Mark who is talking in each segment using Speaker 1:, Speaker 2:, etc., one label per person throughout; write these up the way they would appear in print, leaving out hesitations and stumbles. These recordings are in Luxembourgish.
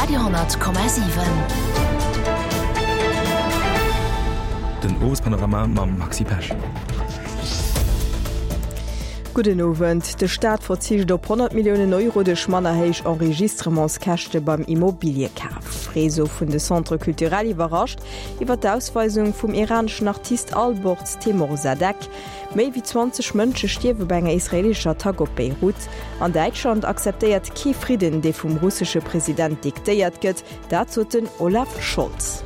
Speaker 1: Radio,7.
Speaker 2: Den Owespanorama mam Maxi Pesch.
Speaker 3: Gudden Owend. De Staat verzicht op 100 Milliounen Euro duerch manner héich Enregistrementskäschte beim Immobiliëkaf. Réseau vun de Centres culturels iwwerrascht iwwer d'Ausweisung vum iraneschen Artist Alborz Teymoorzadeh. Méi wéi 20 Mënsche stierwe bei enger israeelescher Attack op Beirut. An Däitschland akzeptéiert kee Fridden, dee vum russesche President diktéiert gëtt, dat sot den Olaf Scholz.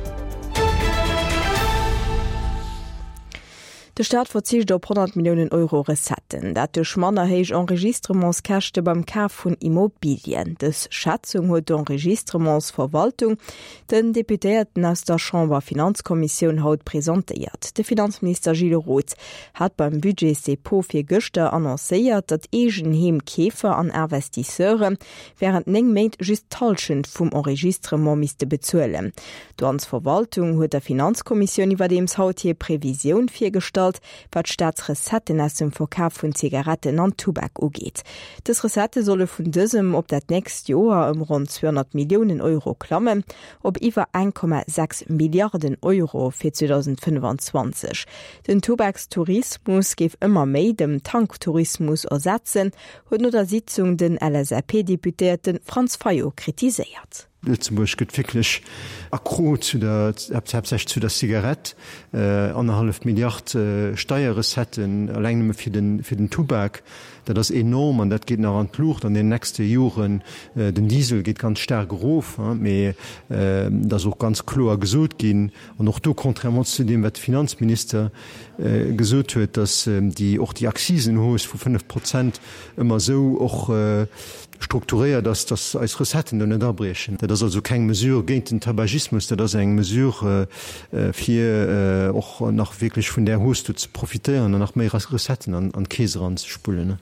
Speaker 3: De Staat verzicht op 100 Milliounen Euro Recetten, dat duerch manner héich Enregistrementskäschte beim Kaf vun Immobilien. Dës Schätzung huet d'Enregistrementsverwaltung Den Deputéierten aus der Chamber-Finanzkommissioun haut presentéiert. De Finanzminister Gilles Roth hat beim Budgetsdepot virgëschter annoncéiert, datt Eegenheemkeefer an Investisseure wärend 9 Méint just d'Hallschent vum Enregistrement misste bezuelen. D'Douanesverwaltung huet der Finanzkommissioun iwwerdeems haut hir Previsioun virgestallt, wat d'Staatsrecetten aus dem Verkaf vun Zigaretten an Tubak ugeet. Dës Recettë solle vun dësem op dat nächst Joer ëm ronn 200 Milliounen Euro klammen, op iwwer 1,6 Milliarden Euro fir 2025. Den Tubakstourismus géif ëmmer méi dem Tanktourismus ersetzen, huet no der Sitzung den LSAP-Deputéierte Franz Fayot kritiséiert.
Speaker 4: Lëtzebuerg gëtt wierklech accro zu der, haaptsächlech zu der Zigarett. Annerhallef Milliard Steierrecetten eleng nëmme fir den, fir den Tubak, dat ass enorm an dat geet nach an d'Luucht an den nächste Joren. Den Diesel geet ganz staark erof, mee et ass och ganz kloer gesot ginn, an och do contrairement zu deem wat de Finanzminister gesot huet, datt déi, och déi Akzisenhausse vu 5 Prozent ëmmer esou och strukturéiert ass, dass eis Recetten do net abriechen. Dat ass also keng Mesure géint den Tabagismus, dat ass eng Mesure, fir och nach wierklech vun där Hausse do ze profitéieren an nach méi Recetten an d'Keess eranzespullen.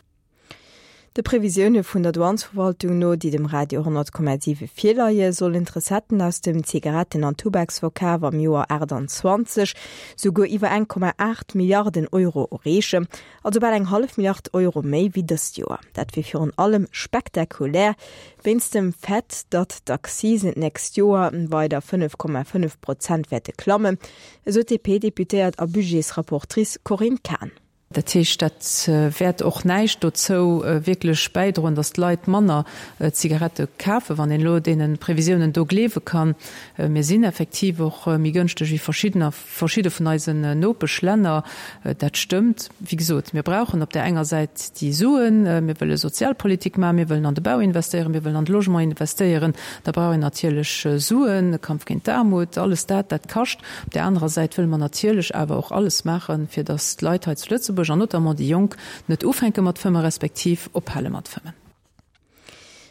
Speaker 3: De Previsioune vun der Douanesverwaltung no, déi dem Radio 10,7 virleie, sollen d'Recetten aus dem Zigaretten an Tubaksverkaf am Joer 28 souguer iwwer 1,8 Milliarden Euro erreechen. Also bal eng hallef Milliard Euro méi wéi dëst Joer. Dat wier virun allem spektakulär wéinst dem Fait, datt d'Accisen d'nächst Joer weider 5,5 Prozent wäerte klammen, esou d'DP-Deputéiert a Budgetsrapportrice Corinne Cahen.
Speaker 5: Dat heescht, dat wäert och näischt dozou wierklech bäidroen, datt d'Leit manner Zigarette kafen, wann een elo deene Previsiounen do gleewe kann. Mir sinn effektiv och méi gënschteg wéi verschiddener. Verschidde vun eisen Nopeschlänner. Dat stëmmt. Wéi gesot, mir brauchen op där enger Säit déi Suen. Mir wëlle Sozialpolitik maachen, mir wëllen an de Bau investéieren, mir wëllen an de Logement investéieren. Da brauch een natierlech Suen, Kampf géint d'Aarmut, alles dat, dat kascht. Op där anerer Säit wëlle mer natierlech awer och alles maachen, fir datt d'Leit hei zu Lëtzebuerg, an notamment déi Jonk, net ufänke mat fëmmen, respektiv ophale mat fëmmen.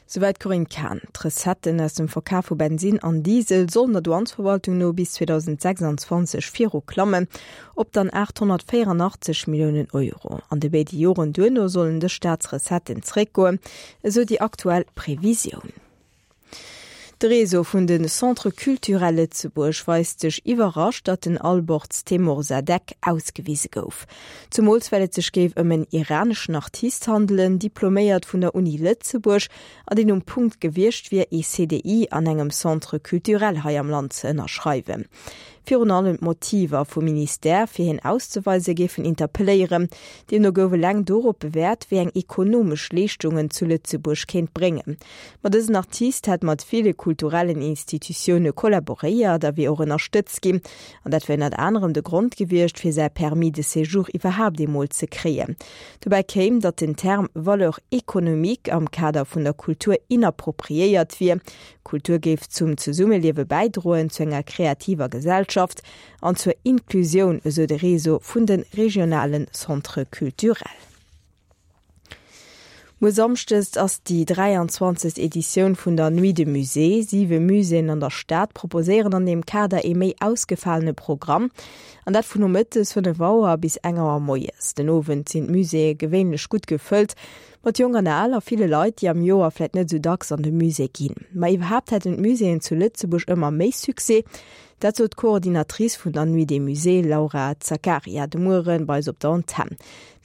Speaker 3: Souwäit d'Corinne Cahen. D'Recetten aus dem Verkaf vu Bensinn an Diesel sollen der Douanesverwaltung no bis 2026 viru klammen, op dann 884 Milliounen Euro. An de béide Joren duerno sollen dës Staatsrecetten zeréckgoen, esou déi aktuell Previsioun. De Réseau vun de Centres culturels Lëtzebuerg weist sech iwwerrascht, datt den Alborz Teymoorzadeh ausgewise gouf. Zumools well et sech géif ëm en iraneschen Artist handelen, diploméiert vun der Uni Lëtzebuerg, an deen um Punkt gewiescht wier, ee CDI an engem Centre culturel hei am Land ze ënnerschreiwen. Virun allem d'Motiver vum Ministère, fir hien auszeweisen, géifen interpelléieren. Deemno gouf eleng dorop bewäert, wéi eng ekonomesch Leeschtung en zu Lëtzebuerg kéint bréngen. Ma dësen Artist hätt mat ville kulturellen Institutioune kollaboréiert a wier och ënnerstëtzt ginn. An dat wier ënnert anerem de Grond gewiescht, fir säi Permis de séjour iwwerhaapt eemol ze kréien. Dobäi kéim, datt den Term valeur économique am Kader vun der Kultur inappropriéiert wier. Kultur géif zum Zesummeliewe bäidroen, zu enger kreativer Gesellschaft an zur Inklusioun, esou de Réseau vun de regionale Centres culturels. Muer Samschdes ass déi 23. Editioun vun der Nuit de Musée. Siwe Muséeën an der Stad proposéieren an deem Kader ee méi ausgefalene Programm. An dat vun nomëttes 5 Auer bis eng Auer moies. Den Owend sinn d'Muséeë gewéinlech gutt gefëllt. Mat Jonk an Al a ville Leit, déi am Joer vläit net esou dacks an de Musée ginn. Ma iwwerhaapt hätten d'Muséeën zu Lëtzebuerg ëmmer méi Succès. Dat sot d'Coordinatrice vun der Nuit des Musées, Laura Zaccaria, de Muere bei eis op der Antenn.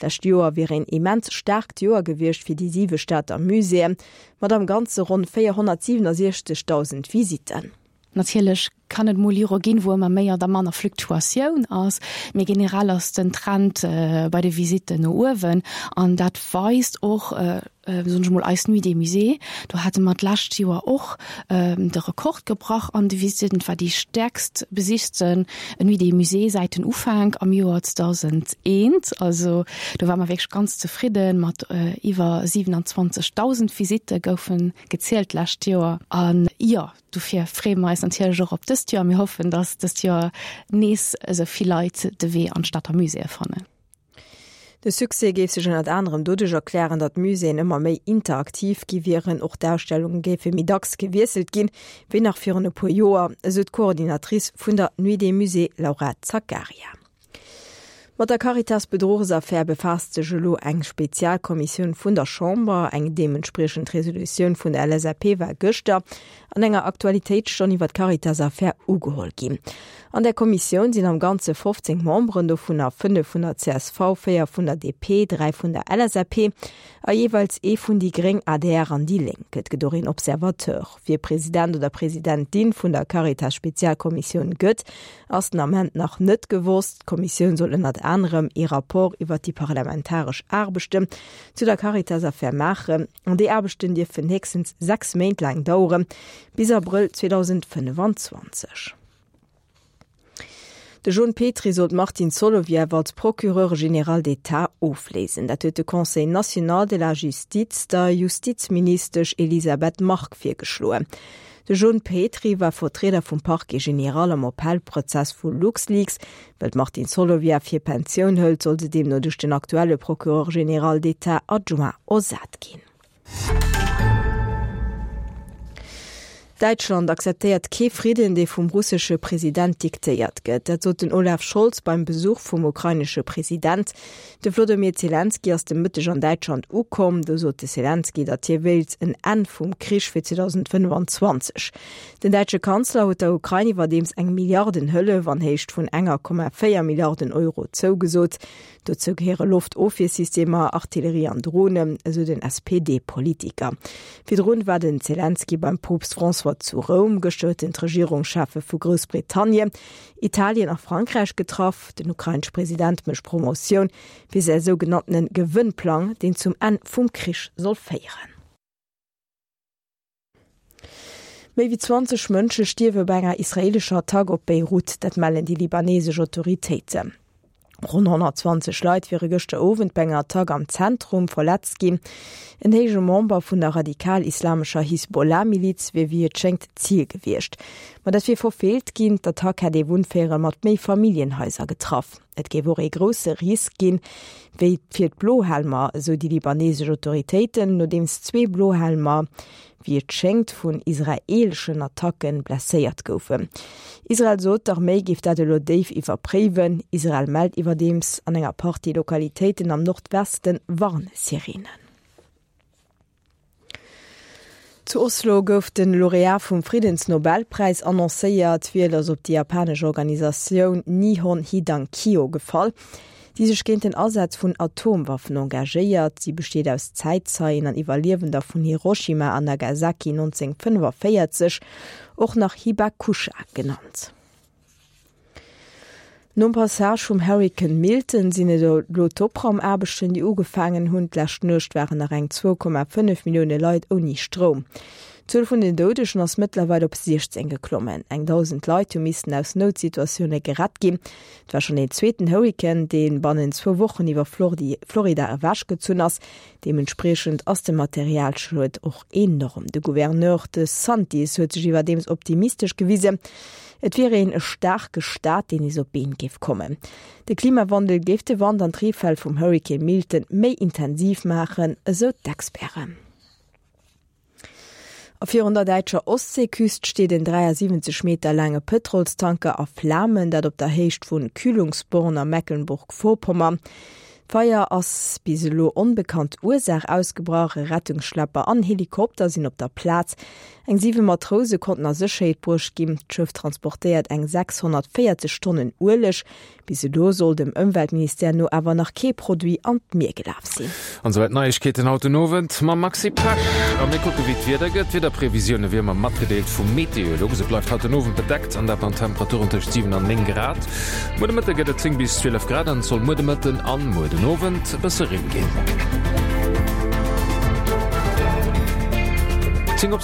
Speaker 3: D'lescht Joer wier een immens staarkt Joer gewiescht fir déi siwe Stater Muséeën, mat am Ganze ronn 467.000 Visitten.
Speaker 1: Natierlech kann et mol Jore ginn, wou ëmmer méi oder manner Fluktuatioun ass, mee generell ass den Trend bei de Visitten no uewen an dat weist och, soen ech mol, eis Nuit des Musées. Do hate mer d'lescht Joer och de Rekord gebrach an de Visitten. Et war déi stäerkst besichten Nuit des Musées säit den Ufank am Joer 2001. Also do ware mer wierklech ganz zefridden, mat iwwer 27.000 Visitte goufen gezielt d'lescht Joer. An jo, Dofir freeë mer eis natierlech och op dëst Joer. Mir hoffen, dass dëst Joer nees esou vill Leit de Wee an d'Stater Muséeë fannen.
Speaker 3: De Succès géif sech ënnert anerem doduerch erklären, datt d'Muséeën ëmmer méi interaktiv gi wieren. Och d'Ausstellunge géife méi dacks gewiesselt ginn, wéi nach virun e puer Joer, esou d'Coordinatrice vun der Nuit des Musées Laura Zaccaria. Mat der Caritas-Bedruchsaffär befaasst sech elo eng Spezialkommissioun vun der Chamber. Eng deementspriechend Resolutioun vun der LSAP war gëschter an enger Aktualitéitsstonn iwwer d'Caritas-Affär ugeholl ginn. An där Kommissioun sinn am Ganze 15 Memberen, dovunner 5 vun der csv, 4 vun der DP, 3 vun der LSAP a jeeweils ee vun déi gréng, adr an déi Lénk. Et gëtt och een Observateur. Wie President oder Presidentin vun der Caritas-Spezialkommissioun gëtt, ass den Ament nach net gewosst. D'Kommissioun soll ënnert anerem ee Rapport iwwer déi parlamentaresch Aarbechten zu der Caritas-Affär maachen. An déi Aarbechten dierfen héchstens 6 Méint laang daueren, bis Abrëll 2025. De Jon Petry soll d'Martine Solovieff als Procureur général d'État ofléisen. Dat huet de Conseil national de la justice der Justizministesch Elisabeth Margue virgeschloen. De Jon Petry war Vertrieder vum Parquet général am Appellprozess vu LuxLeaks. Well d'Martine Solovieff hir Pensioun hëlt, soll se deemno duerch den aktuelle Procureur général d'État adjoint ersat ginn. Däitschland akzeptéiert kee Fridden, dee vum russesche President diktéiert gëtt. Dat sot den Olaf Scholz beim Besuch vum ukrainesche President. De Wlodomir Zelenskyj ass de Mëtteg an Däitschland ukomm. Do sot de Zelenskyj, datt hie wéilt en Enn vum Krich fir 2025. Den däitsche Kanzler huet der Ukrain iwwerdeems eng Milliardenhëllef an Héicht vun enger Komma 4 Milliarden Euro zougesot. Dozou gehéiere Loftofwiersystemer, Artillerie an Dronen, esou den SPD-Politiker. Virdrun war den Zelenskyj beim Poopst François zu Roum. Gëschter huet en d'Regierungscheffe vu Groussbritannien, Italien a Frankräich getraff. Den ukrainesche President mécht Promotioun fir säi sougenanntene Gewënnplang, deen zum Enn vum Krich soll féieren. Méi wéi 20 Mënsche stierwe bei enger israeelescher Attack op Beirut, dat mellen déi libanesesch Autoritéiten. Ronn 120 Leit wiere gëschter Owend bei enger Attack am Zentrum verletzt ginn. En héije Member vun der radikal-islamescher Hisbollah-Miliz wier wéi et schéngt d'Zil gewiescht. Ma dat wier verfeelt ginn. D'Attack hätt ee Wunnvéierel mat Méifamilljenhaiser getraff. Et géif och ee grousse Risk ginn, wéi fir d'Blohelmer, esou déi libanesesch Autoritéiten, nodeems zwee Blohelmer, wéi et schéngt, vun israeeleschen Attacke blesséiert goufen. Israel sot, d'Arméi géif dat elo déif iwwerpréiwen. Israel mellt iwwerdeems an enger Partie Lokalitéiten am Nordweste Warnsirenen. Zu Oslo gouf de Laureat vum Friddensnobelpräis annoncéiert. D'Wiel ass op déi japanesch Organisatioun Nihon Hidankyo gefall, déi sech géint den Asaz vun Atomwaffen engagéiert. Si besteet aus Zäitzeien an Iwwerliewender vun Hiroshima an Nagasaki 1945, och nach Hibakusha genannt. Nom Passage vum Hurrikan Milton sinn et elo d'Opraumaarbechten, déi ugefaangen hunn. D'lescht Nuecht waren nach eng 2,5 Millioune Leit ouni Stroum. D'Zuel vun den Doudegen ass mëttlerweil op 16 geklommen. Eng 1.000 Leit hu missten aus Noutsituatioune gerett ginn. Et war schonn deen zweeten Hurrikan, dee bannent zwou Wochen iwwer Florida ewechgezunn ass. Deementspriechend ass de Materialschued och enorm. De Gouverneur De Santis huet sech iwwerdeems optimistesch gewisen, et wier een e staarke Staat, deen nees op d'Been géif kommen. De Klimawandel géif de Wand an d'Reefäll vum Hurrikan Milton méi intensiv maachen, esou d'Experten. A virun der däitscher Ostseeküst steet en 73 Meter laange Pëtrolstanker a Flamen, dat op der Héicht vu Kühlungsborn a Mecklenburg-Vorpommern. D'Feier ass bis elo onbekannt Ursaach ausgebrach. E Rettungsschlepper an Helikopter sinn op der Plaz. Eng 7 Matrouse konnten a Sécherheet bruecht ginn. D'Schëff transportéiert eng 640 Tonnen Ueleg. Bis elo soll dem Ëmweltministère no awer nach kee Produit an d'Mier gelaf sinn.
Speaker 6: An souwäit d'Neiegkeeten haut den Owend mam Maxi Pesch. A mir kucke wéi d'Wieder gëtt. D'Wiederprevisioune wéi ëmmer matgedeelt vu Meteolux. Et bleift haut den Owend bedeckt an dat mat Temperaturen tëscht 7 an 9 Grad. Muer de Mëtte gëtt et 10 bis 12 Grad an et soll muer de Mëtten an muer den Owend e bësse Reen ginn. 10 op.